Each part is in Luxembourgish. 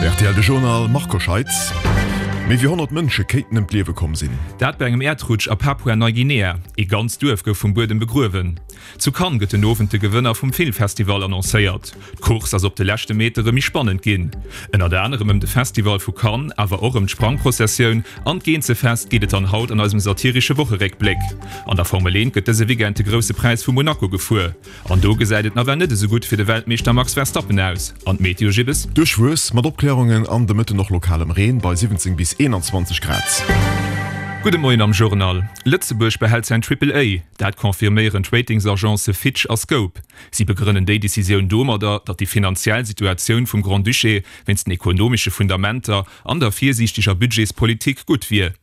Hei rtl de Journal, Marco Scheitz. Méi wéi 100 Mënsche kéinten ëm d'Liewe komm sinn. Dat bei engem Äerdrutsch a Papua-Neiguinea. Ee ganzt Duerf gouf vum Buedem begruewen. Zu Cannes gëtt den Owend de Gewënner vum Filmfestival annoncéiert. D'Course ass op de leschte Metere méi spannend ginn. Ënnert anerem ëm de Festival vu Cannes, awer och ëm d'Sprangprozessioun an d'Geenzefest geet et dann haut an eisem satiresche Wocheréckbléck. An der Formel 1 gëtt dëse Weekend de Grousse Präis vu Monaco gefuer. An do gesäit et nawell net esou gutt fir de Weltmeeschter Max Verstappen aus. An d'Meteo, Jibbes? Duerchwuess, mat Opklärungen an de Mëtten och lokalem Reen bei 17 bis 21 Grad. Gudde Moien am Journal. Lëtzebuerg behält säin Triple A. Dat confirméieren d'Ratingsagencë Fitch a Scope. Si begrënnen déi Decisioun domadder, datt déi finanziell Situatioun vum Grand-Duché wéinst den ekonomesche Fundamenter an der virsiichteger Budgetspolitik gutt wier.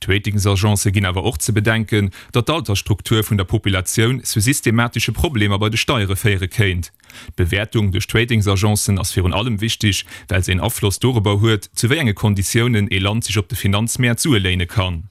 D'Ratingsagencë ginn awer och ze bedenken, datt d'Altersstruktur vun der Populatioun zu systematesche Problemer bei de Steiere féiere kéint. D'Bewäertung duerch d'Ratingsagencen ass virun allem wichteg, well se een Afloss dorobber huet, zu wéi enge Konditiounen ee Land sech op de Finanzmäert Sue léine kann.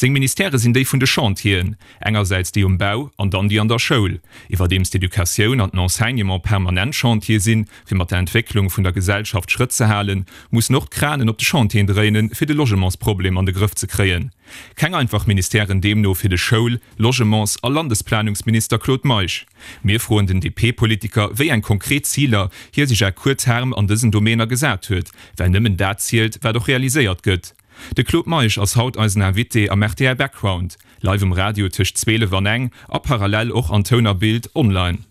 Seng Ministèrë sinn déi vun de Chantieren, engersäits déi um Bau an dann déi an der Schoul. Iwwerdeems d'Educatioun an den Enseignement permanent Chantier sinn, fir mat der Entwécklung vun der Gesellschaft Schrëtt ze halen, mussen och d'Kranen op de Chantieren dréinen, fir de Logementsproblem an de Grëff ze kréien. Keng einfach Ministèren deemno fir de Schoul-, Logements a Landesplanungsminister Claude Meisch. Mir froen den DP-Politiker, wéi eng konkret Ziler hie sech à court terme an dësen Domäner gesat huet, well nëmmen dat zielt, wat och realiséiert gëtt. De Claude Meisch ass haut eisen Invité am rtl Background, live um Radio tëscht 12 an eng a parallel och an Toun a Bild online.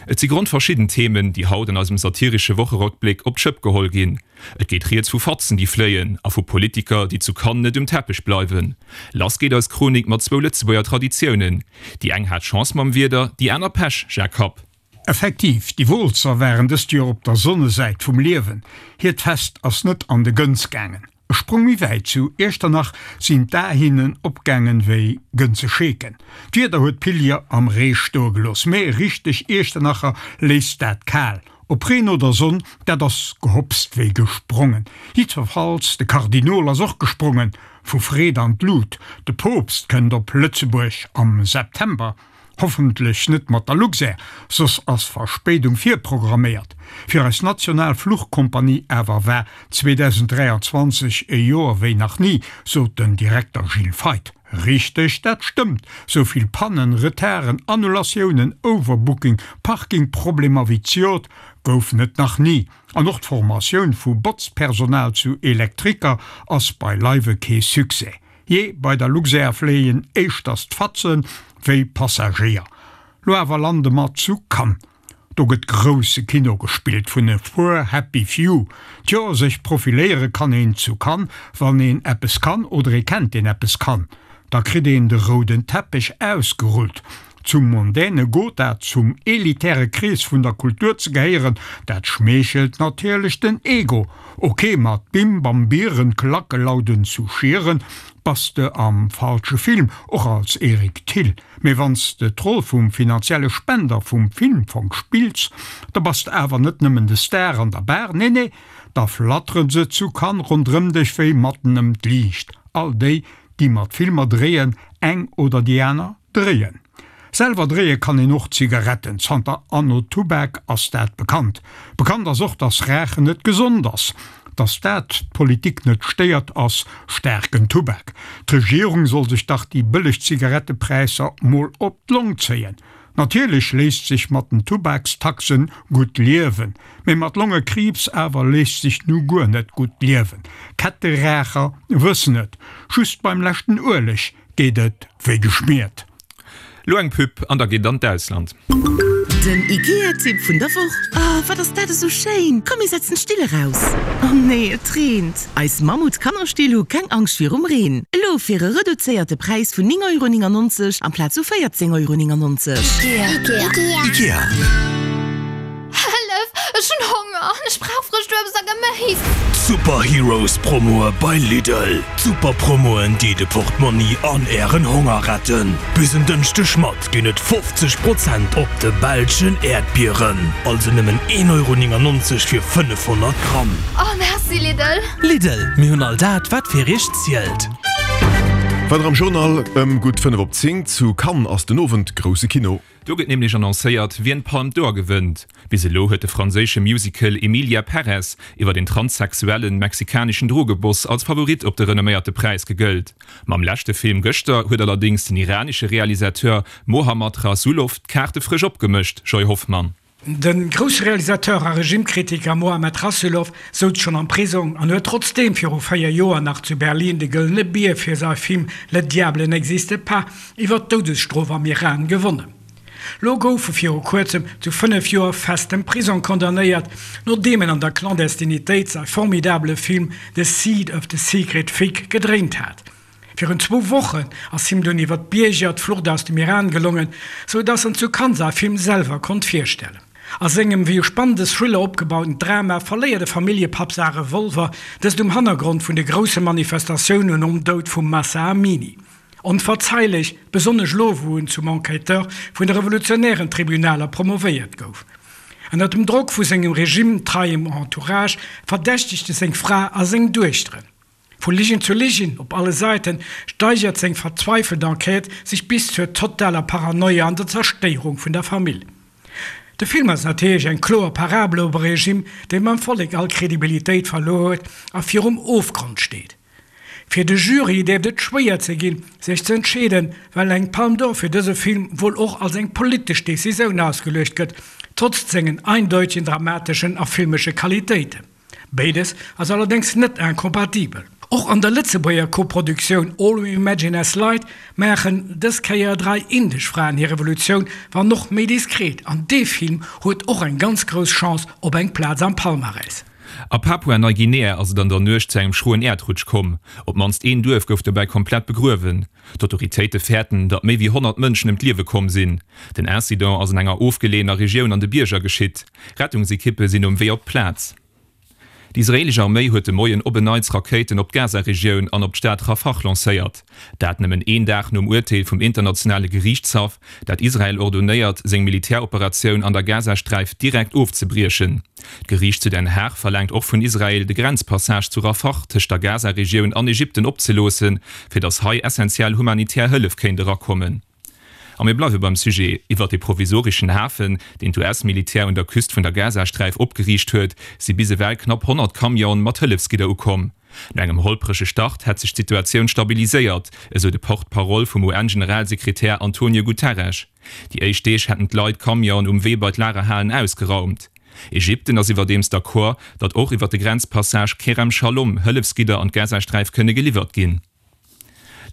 Et si grondverschidden Themen, déi haut an eisem satiresche Wocherockbléck op d'Schëpp geholl ginn. Et geet rieds vu Fatzen, déi fléien a vu Politiker, déi zu Cannes net um Teppech bleiwen. Lass geet eis Chronik mat zwou Lëtzebuerger Traditiounen. Déi eng hat Chance mam Wieder, déi aner Pech, Jacques Happ. Effektiv, déi Wooltzer waren dëst Joer op der Sonnesäit vum Liewen. Hiert Fest ass net an de Gënz gaangen. E Sprong méi wäit, zu Iechternach sinn d'Ae hinnen opgaangen wéi Gënzescheeken. D'Wieder huet d'Pillier am Ree stoe gelooss, mee richteg Iechternacher léisst dat kal. Ob Reen oder Sonn, dat ass gehopst wéi gesprongen. Jiddwerfalls, de Kardinol ass och gesprongen, vu Freed an d'Lut. De Poopst kënnt op Lëtzebuerg am September. Hoffentlech net mat der Luxair, soss ass Verspéidung virprogramméiert. Fir eis national Fluchkompanie awer war 2023 e Joer wéi nach ni, sot den Direkter Gilles Feith. Richteg, dat stëmmt, sou vill Pannen, Retarden, Annulatiounen, Overbooking, Parkingproblemer wéi d'Jod goufen et nach ni. An och d'Formatioun vu Botzpersonal zu Elektriker ass beileiwe kee Succès. Jee, bei der Luxair fléien éischters d'Fatzen wéi Passagéier. Lo awer lande mer zu Cannes. Do gëtt grousse Kino gespillt vun e puer happy few. Tjo, sech profiléiere kann een zu Cannes, wann een eppes kann oder ee kennt deen eppes kann. Da kritt een de rouden Teppech ausgerullt. Zum mondäne Gotha, zum elitäre Krees vun der Kultur ze gehéieren, dat schmeechelt natierlech den Ego. Ok, mat Bim Bam Bieren, Klackelauden zu Schieren, bass de am falsche Film, och als Eric Thill. Mee wann s de d'Roll vum finanzielle Spender vum Filmfong spills, da bass de awer net nëmmen de Star an der Bar, nee nee, da flatteren se zu Cannes ronderëm dech wéi matten ëm d'Liicht, all déi, déi mat Filmer dréien, eng oder déi aner. Dréien. Selwer dréie kann een och Zigaretten, zanter Anno Tubak ass dat bekannt. Bekannt ass och, dass Raachen net gesond ass. Dass dat d'Politik net stéiert, ass staarken Tubak. D'Regierung soll sech dach déi bëlleg Zigarettepräisser mol op d'Long zéien. Natierlech léisst sech mat den Tubakstaxen gutt liewen, mee mat Longekriibs awer léisst sech nu guer net gutt liewen. Ketteraacher wëssen et, just beim leschten Ueleg Geet et wéi geschmiert. Lo eng Pub an da geet et an d'Ausland. Den Ikea-Tipp vun der Woch, Oh, wat ass dat esou schéin! Komm mir setzen d'Still eraus! Oh nee, et reent! Eis Mammut-Kannerstill hu keng Angscht virum Reen. Elo fir e reduzéierte Präis vun 9,99 Euro amplaz vu 14,99 Euro. Ikea. Ikea. Hëllef! Ech hunn Honger an ech brauch frëscht Uebst a Geméis! D'Super Heroes Promoe bei Lidl! D'Super Promoen déi de Portmonni an ären Honger retten! Bis en Dënschdeg mat ginn et 50 Prozent op de belschen Äerdbieren, also nëmmen 1,99 Euro fir 500 Gramm. Oh merci Lidl! Lidl, mir hunn all dat wat fir iech zielt. Weider am Journal ëm gutt 5 op 10 zu Cannes ass den Owend grousse Kino. Do gëtt nämlech annoncéiert, wien d'Palme d'Or gewënnt. Bis elo huet de franséische Musical Emilia Perez iwwer een transsexuellen mexikaneschen Drogeboss als Favorit op de renomméierte Präis gegëllt. Mam leschte Film gëschter huet allerdéngs den iranesche Realisateur Mohammad Rasoulof d'Kaarte frësch opgemëscht, Joy Hoffmann. De grousse Realisateur a Regimekritiker Mohammad Rasoulof souz schonn am Prisong an huet trotzdeem viru 4 Joer nach zu Berlin de Gëllene Bier fir säi Film Le diable n'existe pas iwwer d'Doudesstrof am Iran gewonnen. Lo gouf e viru kuerzem zu 5 Joer festem Prisong condamnéiert, nodeem en an der Clandestinitéit säi formidabele Film The Seed of the Secret Fig gedréint hat. Virun zwou Wochen ass him dunn iwwer d'Bierger d'Flucht aus dem Iran gelongen, sou dass en zu Cannes säi Film selwer konnt virstellen. A sengem wéi e spannende Thriller opgebauten Drama verléiert e Familljepapp säi Revolver, dëst um Hannergrond vun de grousse Manifestatiounen nom Doud vum Mahsa Amini. Onverzeilech, besonnesch elo wou en zum Enquêteur vun de revolutionären Tribunaler promovéiert gouf. Ënner dem Drock vu sengem regime-treiem Entourage verdächtegt e seng Fra a seng Duechteren. Vu Ligen zu Ligen op alle Säiten steigert seng verzweifelt Enquête sech bis zur totaler Paranoia an der Zerstéierung vun der Famill. De Film ass natierlech eng kloer Parabel op e Regime, dee beim Vollek all Kredibilitéit verluer huet a virum Ofgrond steet. Fir de Jury dierft et schwéier ze ginn, sech ze entscheeden, well eng Palme d'Or fir dëse Film wuel och als eng politesch Decisioun ausgeluecht gëtt, trotz sengen eindeutegen dramateschen a filmesche Qualitéiten. Béides ass allerdéngs net incompatibel. Och an der Lëtzebuerger Koproduktioun All We Imagine As Light maachen dës Kéier 3 indesch Fraen hir Revolutioun, wann och méi diskret, an dee Film huet och eng ganz grouss Chance op eng Plaz am Palmarès. A Papua-Neiguinea ass et an der Nuecht zu engem schroen Äerdrutsch komm. Op d'mannst een Duerf gouf dobäi komplett begruewen. D'Autoritéite fäerten, datt méi wéi 100 Mënschen ëm d'Liewe komm sinn. Den Incident ass an enger ofgeleeëner Regioun an de Bierger geschitt. Rettungsekippe sinn um Wee op d'Plaz. Déi israeelesch Arméi huet de Moien op en Neits Rakéiten op d'Gaza-Regioun an op d'Stad Rafah lancéiert. Dat nëmmen een Dag nom Urteel vum internationale Geriichtshaff, dat Israel ordonéiert, seng Militäroperatioun an der Gazasträif direkt ofzebriechen. D'Geriicht zu Den Haag verlaangt och vun Israel, de Grenzpassage zu Rafah tëscht der Gaza-Regioun an Ägypten opzeloossen, fir datt hei essentiell humanitär Hëllef kéint erakommen. A mir bleiwe beim Sujet, Iwwert de provisoreschen Hafen, deen d'US-Militär un der Küst vun der Gazasträif opgeriicht huet, si bis ewell knapp 100 Camionen mat Hëllefsgidder ukomm. No engem holprege Start hätt sech d'Situatioun stabiliséiert, esou de Porte-parole vum UN-Generalsekretär Antonio Guterres. Déi éischt Deeg hätten d'Leit d'Camionen um Wee bei d'Lagerhalen ausgeraumt. Ägypten ass iwwerdeems d'accord, datt och iwwer de Grenzpassage Kerem Shalom Hëllefsgidder an d'Gazasträif kënne geliwwert ginn.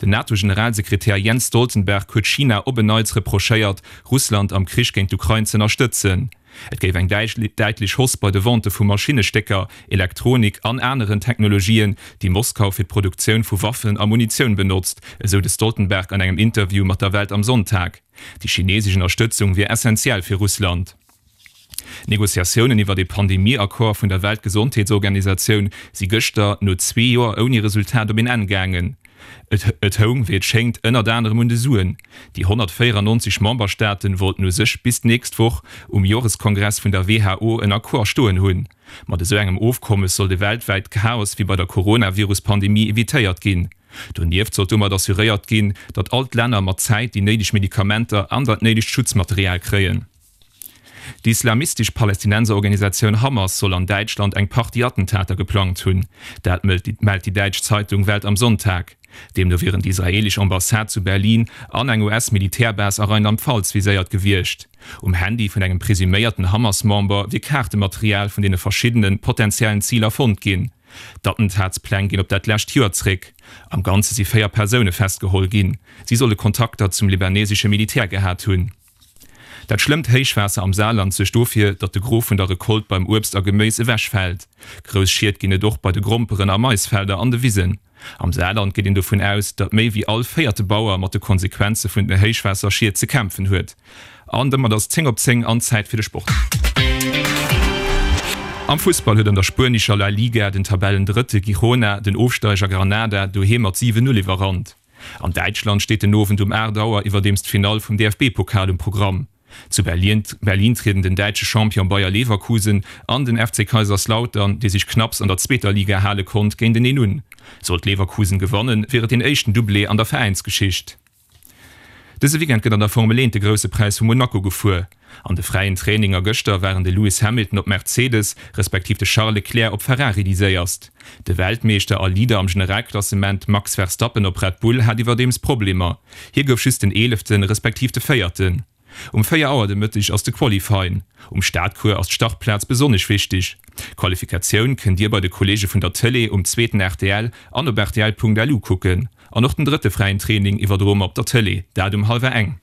Den NATO-Generalsekretär Jens Stoltenberg huet China op en Neits reprochéiert, Russland am Krich géint d'Ukrain z'ënnerstëtzen. Et géif eng däitlech Hausse bei de Vente vu Maschinnestécker, Elektronik an aneren Technologien, déi Moskau fir d'Produktioun vu Waffen a Munitioun benotzt, esou de Stoltenberg an engem Interview mat der Welt am Sonntag. Déi chinesesch Ënnerstëtzung wier essentiell fir Russland. D'Negociatiounen iwwert ee Pandemie-Accord vun der Weltgesondheetsorganisatioun si gëschter no zwee Joer ouni Resultat op een Enn gaangen. Et houng, wéi et schéngt, ënnert anerem un de Suen. Déi 194 Memberstaate wollten u sech bis d'nächst Woch um Joreskongress vun der WHO en Accord stoen hunn. Mat esou engem Ofkommes soll de weltwäit Chaos wéi bei der Coronavirus-Pandemie evitéiert ginn. Donieft sollt domat assuréiert ginn, datt all d'Länner mat Zäit déi néideg Medikamenter an dat néidegt Schutzmaterial kréien. Déi islamistesch Palästinenserorganisatioun Hamas soll an Däitschland eng Partie Attentater geplangt hunn. Dat mellt déi däitsch Zeitung Welt am Sonntag. Deemno wieren déi israeelesch Ambassade zu Berlin an eng US-Militärbase a Rheinland-Pfalz viséiert gewiescht. Um Handy vun engem presuméierten Hamas-Member wier Kaartematerial vun deene verschiddene potentiellen Ziler fonnt ginn. D'Attentatspläng ginn op dat lescht Joer zréck. Am Ganze si 4 Persoune festgeholl ginn. Si solle Kontakter zum libanesesche Militär gehat hunn. Dat schlëmmt Héichwaasser am Saarland suergt dofir, datt de Gros vun der Recolte beim Uebst a Geméis ewechfält. Grouss Schied ginn et och bei de Gromperen a Maisfelder an de Wisen. Am Saarland geet een dovun aus, datt méi wéi all véierte Bauer mat de Konsequenze vun den Héichwaasserschied ze kämpfen huet. An domat ass 10 op 10 an Zäit fir de Sport. Am Fussball huet an der spuenescher La Liga den Tabellendrëtte Girona den Ofsteiger Granada doheem mat 7, 0 iwwerrannt. An Däitschland steet den Owend um 8 Auer iwwerdeems d'Finall vum DFB-Pokal um Programm. Zu Berlin trieden den däitsche Champion Bayer Leverkusen an den FC Kaiserslautern, dee sech knapps an der zweeter Liga hale konnt, géinteneen un. Sollt Leverkusen gewannen, wier et deen éischten Doublé an der Veräinsgeschicht. Dëse Weekend gëtt an der Formel 1 de Grousse Präis vu Monaco gefuer. An de fräien Traininger gëschter waren de Lewis Hamilton op Mercedes, respektiv de Charles Leclerc op Ferrari déi séierst. De Weltmeeschter a Leader am Generalklassement Max Verstappen op Red Bull hat iwwerdeems Problemer. Hie gouf just den Eeleften, respektiv de Véierten. Um 4 Auer de Mëtteg ass de Qualifying. Um Startcours ass d'Startplaz besonnesch wichteg. D'Qualifikatioun kënnt Dir bei de Kolleege vun der Tëlee um zweeten rtl an op rtl.lu kucken. An och den drëtte fräien Training iwwerdroe mer op der Tëlee, dat um hallwer eng.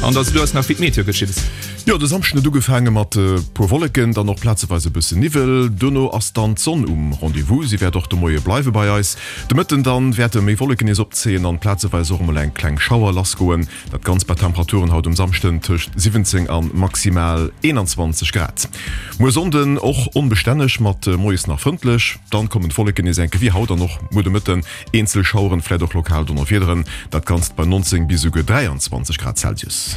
An da lues nach wéi d'Meteo geschitt. Jo, de Samschden huet ugefaange mat e puer Wolleken, dann och plazeweis e bësse Niwwel. Duerno ass dann d'Sonn um Rendez-vous, si wäert och de Moie bleiwe bei eis. De Mëtten dann wäerte méi Wolleken nees opzéien an plazeweis och emol eng kleng Schauer lassgoen. Dat Ganzt bei Temperaturen haut um Samschden tëscht 17 an maximal 21 Grad. Muer Sonnden och onbestänneg mat moies nach frëndlech, dann kommen d'Wolleken nees enke wéi haut an och muer de Mëtten eenzel Schaueren, vläit och lokal Donnerwiederen. Dat Ganzt bei 19 bis esouguer 23 Grad Celsius.